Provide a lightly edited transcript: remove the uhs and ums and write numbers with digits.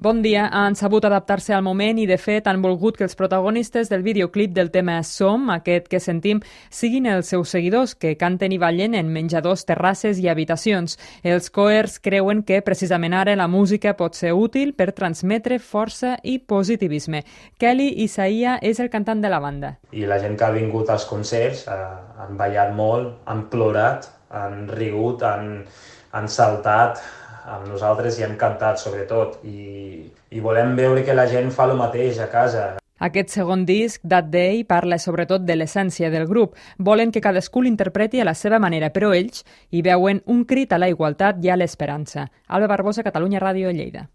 Bon dia, han sabut adaptar-se al moment i, de fet, han volgut que els protagonistes del videoclip del tema Som, aquest que sentim, siguin els seus seguidors, que canten i ballen en menjadors, terrasses i habitacions. Els Coers creuen que, precisament ara, la música pot ser útil per transmetre força i positivisme. Kelly Isaia és el cantant de la banda. I la gent que ha vingut als concerts han ballat molt, han plorat, han rigut, han saltat, amb nosaltres i han cantat, sobretot, i volem veure que la gent fa el mateix a casa. Aquest segon disc, That Day, parla sobretot de l'essència del grup. Volen que cadascú l'interpreti a la seva manera, però ells hi veuen un crit a la igualtat i a l'esperança. Alba Barbosa, Catalunya Ràdio, Lleida.